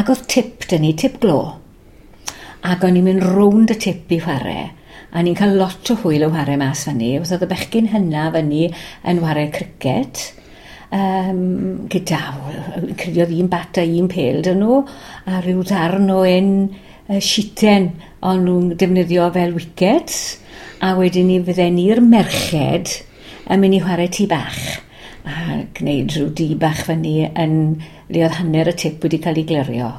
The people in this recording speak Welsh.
Ac oedd tip 'da ni, tip glo. Ac o'n i'n mynd rownd y tip i whare. A ni'n cael lot o hwyl yn whare mas fyny. Oedd y bechgyn hynna fyny yn whare cricket. Gyda, credu oedd un bat a un pêl 'da nhw, a rhyw ddarn o un sheeten o'n nhw'n defnyddio fel wickets, a wedyn ni fydden ni'r merched yn mynd i chwarae tŷ bach a gwneud rhyw dŷ bach fyny yn le oedd hanner y tip wedi cael ei glirio.